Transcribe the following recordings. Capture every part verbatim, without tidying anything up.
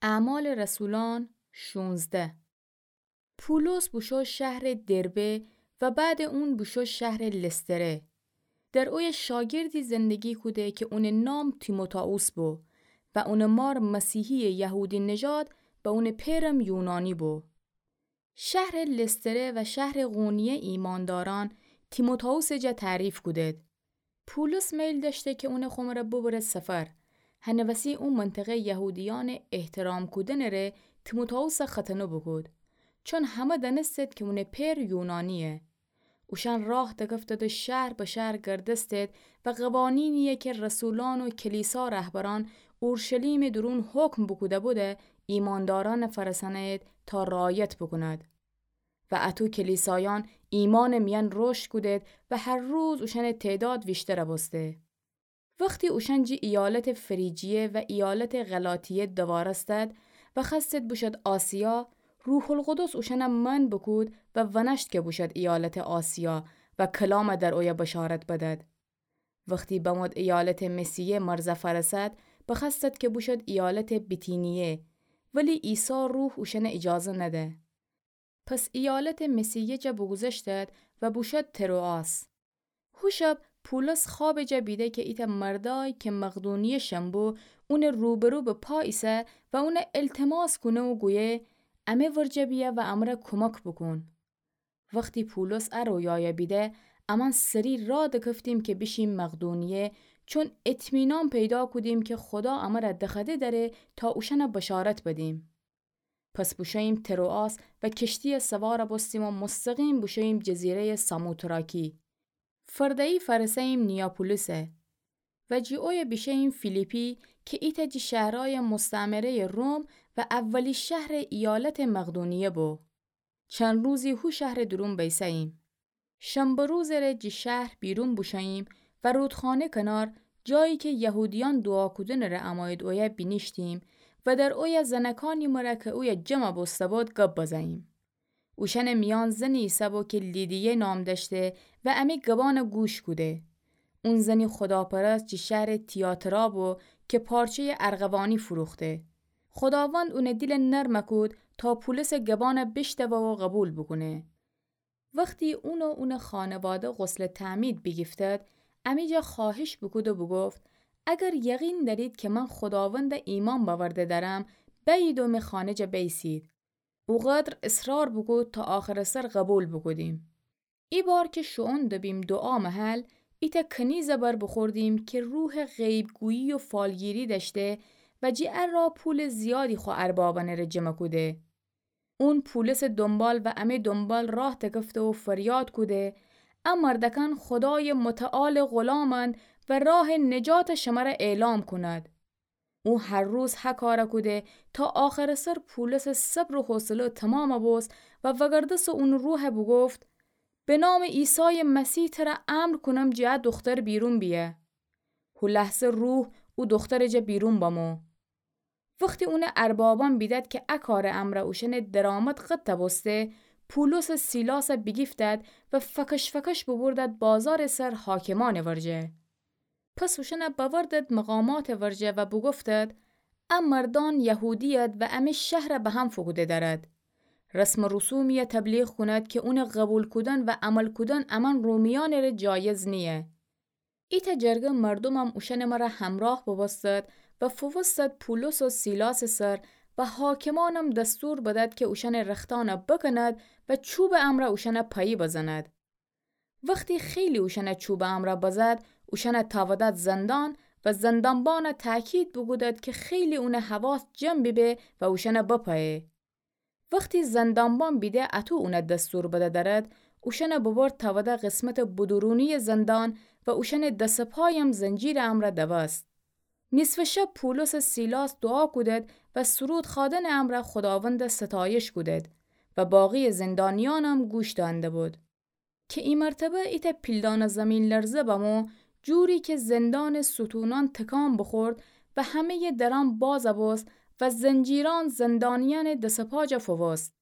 اعمال رسولان شونزده. پولس بوشو شهر دربه و بعد اون بوشو شهر لستره. در اویه شاگردی زندگی کوده که اونٚ نام تیموتائوس بو و اونٚ مار مسیحی یهودی نژاد و اونٚ پئرم یونانی بو. شهر لستره و شهر قونیه ایمانداران تیموتائوسٚ جا تعریف کودد. پولس میل دأشته که اونٚ خو مرأ ببره سفر. هنٚ وسی او منطقه یهودیأنٚ احترام کودنٚ ره تیموتائوسَ ختنه بوکود، چون همه دأنستد که اونٚ پئر یونانییه. اوشأن راه دکفتد و شهر به شهر گردستد و قوانینیی که رسولأن و کلیسا رهبرأن اورشلیمٚ دورون حکم بوکوده‌بود ایماندارأنَ فأرسأنه‌ید تا رعایت بوکوند. و اَطو کلیسایأن ایمأنٚ میأن رشد کودد و هر روز اوشأنٚ تعداد ویشتر بوسته. وختی اوشأن جی ایالتٚ فریجیه و ایالتٚ غلاطیه دوارستد و بخوأستد بوشد آسیا، روح‌القدس اوشأنَ منع بوکود و ونأشت که بوشد ایالتٚ آسیا و کلامَ در اویه بشارت بدد. وختی بمود ایالتٚ مسیه مرزَ فأرسد، بخوأستد که بوشد ایالتٚ بیتینیه، ولی عیسی روح اوشأنَ ایجازه نده. پس ایالتٚ مسیه جا بوگوذشتد و بوشد تروآس. هو شب پولس خوابٚ جا بیده که ایتأ مردأی که مقدونیه‌شأن بو، اونٚ روبرو به پا ایسه و اونَ التماس کونه و گویه: امه ورجه بیأ و امره کومک بوکون. وختی پولس ا رویایَ بیده، امأن سری راه دکفتیم که بیشیم مقدونیه، چون اطمینان پیدا کودیم که خودا امره دخوأده دأره تا اوشأنَ بشارت بدیم. پس بوشوییم تروآس و کشتیَ سوار بوستیم و مستقیم بوشوییم جزیره‌یٚ ساموتراکی. فرده‌یی فأرسه‌ییم نیاپولیسَ و جی اویه بیشه‌ییم فیلیپی که ایتأ جی شهرأیٚ مستعمره‌یٚ روم و اولی شهرٚ ایالتٚ مقدونیه بو. چند روزی هو شهرٚ دورون بیسه‌ییم. شنبه روزٚ ره جی شهر بیرون بوشوییم و رودخانه کنار، جایی که یهودیأن دوعا کودنٚ ره امویید اویه، بینیشتیم و در اویه زنکأنی مرأ که اویه جمع بوسته بود گب بزه‌ییم. اوشأنٚ میأن زنی ایسه بو که لیدیه نام دأشته و امه گبأنَ گوش کوده. اون زنی خوداپرست جی شهرٚ تیاترا بو که پارچه‌یٚ ارغوانی فروخته. خوداوند اونٚ دیلَ نرم کود تا پولسٚ گبأنَ بیشنوه و قوبیل بوکونه. وختی اون و اونٚ خانواده غسلٚ تعمید بیگیفتید، امی جا خوأهش بوکود و بوگفت: اگر یقین دأرید که من خوداوندَ ایمأن بأورده دأرم، بأیید و می خانه جا بیسید. اوقدر اصرار بوکود تا آخرٚ سر قوبیل بوکودیم. ایبار که شوئون دبیم دوعا محل، ایتأ کنیزَ بر بوخوردیم که روحٚ غیب‌گویی و فالگیری دأشته و جی ا راه پولٚ زیادی خو اربابأنٚ ره جمع کوده. اون پولسٚ دونبال و امی دونبال راه دکفته و فریاد کوده: ا مردأکأن خودایٚ متعالٚ غلامأند و راهٚ نجاتَ شمره اعلام کونید. او هر روز ه کارَ کوده تا آخرٚ سر پولسٚ صبر و حوصله تومامَ بوست و وأگردسته اونٚ روحَ بوگفت: به نامٚ عیسایٚ مسیح تره امر کونم جی ا دوختر بیرون بیه. هو لحظه روح او دوخترٚ جا بیرون بمو. وختی اونٚ اربابأن بیدد که ا کارٚ امرأ اوشأنٚ درآمد قطع بوسته، پولس و سیلاسَ بیگیفتد و فکش فکش ببردد بازارٚ سر حاکمأنٚ ورجه. پس اوشأنَ بأوردد مقاماتٚ ورجه و بوگفتد: ا مردأن یهودی‌ید و امی شهرَ به هم فوکوده دأرد. رسم و رسومی‌یَ تبلیغ کونید که اونٚ قوبیل کودن و عمل کودن امأن رومیأنٚ ره جایز نییه. ایتأ جرگه مردومم اوشأنٚ مرأ همراه بوبوستد و فووستد پولس و سیلاسٚ سر و حاکمأنم دستور بدد که اوشأنٚ رختأنَ بکند و چوبٚ امرأ اوشأنَ پایی بزند. وختی خیلی اوشأنَ چوبٚ امرأ بزد، اوشأنَ تأودد زندان و زندانبانَ تأکید بوکودد که خیلی اونٚ حواس جمع بیبه و اوشأنَ بپأیه. وختی زندانبان بیده اطو اونَ دستور بده دأرد، اوشأنَ ببرد تأوده قسمتٚ بدورونی‌یٚ زندان و اوشأنٚ دس و پایم زنجیرٚ امرأ دوست. نیصفٚ شب پولس و سیلاس دوعا کودد و سرود خوأدنٚ امرأ خوداوندَ ستایش کودد و باقی‌یٚ زندانیأنم گوش دأنده‌بود. که ای مرتبه ایتأ پیلدانه زمین‌لرزه بمو، جوری که زندانٚ ستونأن تکان بوخورد و همه‌یٚ درأن باز بوست و زنجیرأن زندانیأنٚ دس و پا جا فووست.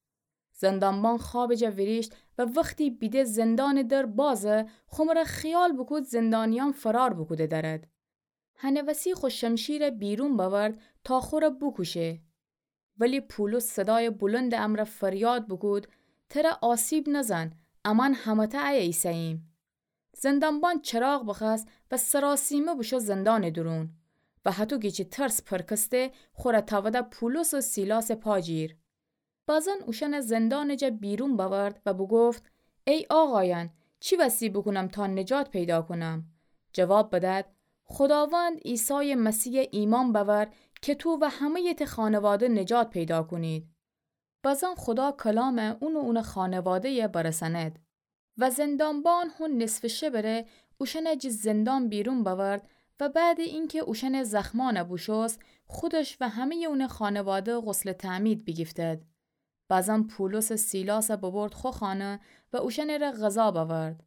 زندانبان خوابٚ جا ویریشت و وختی بیده زندانٚ در بازه، خو مرأ خیال بوکود زندانیأن فرار بوکوده دأرد. هنٚ وسی خو شمشیرَ بیرون بأورد تا خورَ بوکوشه. ولی پولس صدایٚ بلندٚ امرأ فریاد بوکود: تره آسیب نزن، امأن همه‌تأ ایه ایسه‌ییم. زندانبان چراغ بخوأست و سراسیمه بوشو زندانٚ دورون و هطو کی چی ترس پرکسته، خوره تأوده پولس و سیلاسٚ پا جیر. بازن اوشأنه زندانٚ جا بیرون بأورد و بوگفت: ای آقایأن، چی وسی بوکونم تا نجات پیدا کونم؟ جواب بدد: خوداوند عیسایٚ مسیح ایمأن بأور کی تو و همه‌یٚ ته خانواده نجات پیدا کونید. بازن خودا کلام اون و اونٚ خانواده‌یه برسأند. و زندانبان هو نصفٚ شبٚ ره اوشأنه جٚه زندان بیرون بأورد و بعدٚ اینکه اوشأنٚ زخمأنه بوشوست، خودش و همه‌یٚ اونٚ خانواده غسلٚ تعمید بیگیفتد. بازن پولس و سیلاسه ببرد خو خانه و اوشأنٚ ره غذا بأورد.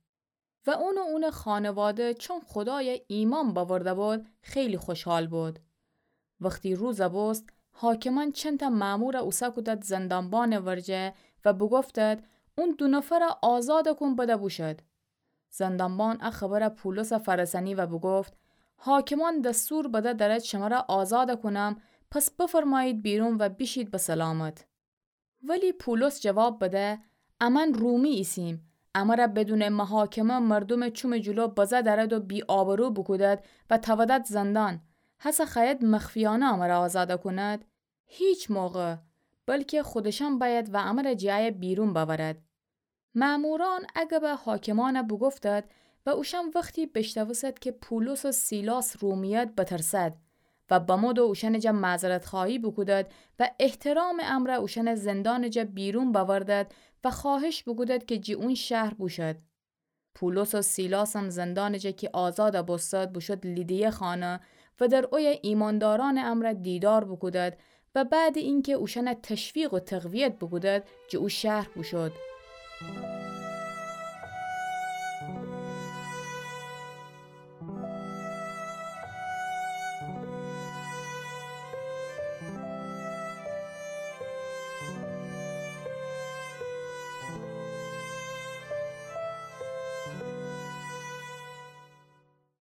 و اون و اونٚ خانواده چون خودایه ایمأن بأورده بود، خیلی خوشحال بود. وختی روز بوست، حاکمأن چندتأ مأمور اوسه کودد زندانبانٚ ورجه و بوگفتد: اون دو نفر آزاد کون بده بوشد. زندانبان ا خبر پولس فرسأنی و بوگفت: حاکمأن دستور بده درد شمره آزاد کونم، پس بفرمایید بیرون و بیشید به سلامت. ولی پولس جواب بده: امأن رومی ایسیم. امره بدونٚ محاکمه مردومٚ چومٚ جلو بزه درد و بی‌آبرو بوکودد و تأودد زندان. هسه خوأید مخفیأنه امره آزاد کونید؟ هیچ موقع! بلکه خودشأن بأید و امره جٚه ایه بیرون بأورد. مأمورأن ا گب حاکمأنه بوگفتد و اوشأن وختی بیشنوستد کی پولس و سیلاس رومیید بترسد و بمو دو اوشأنٚ جا معذرتخوأیی بوکودد و احترامٚ امرأ اوشأنه زندانٚ جا بیرون بأوردد و خوأهش بوکودد کی جٚه اون شهر بوشد. پولس و سیلاسم زندانٚ جا کی آزاد بوستد بوشد لیدیه خانه و در اویه ایمأندارأنٚ امرأ دیدار بوکودد و بعدٚ اینکه اوشأنه تشویق و تقویت بوکودد جٚه او شهر بوشد.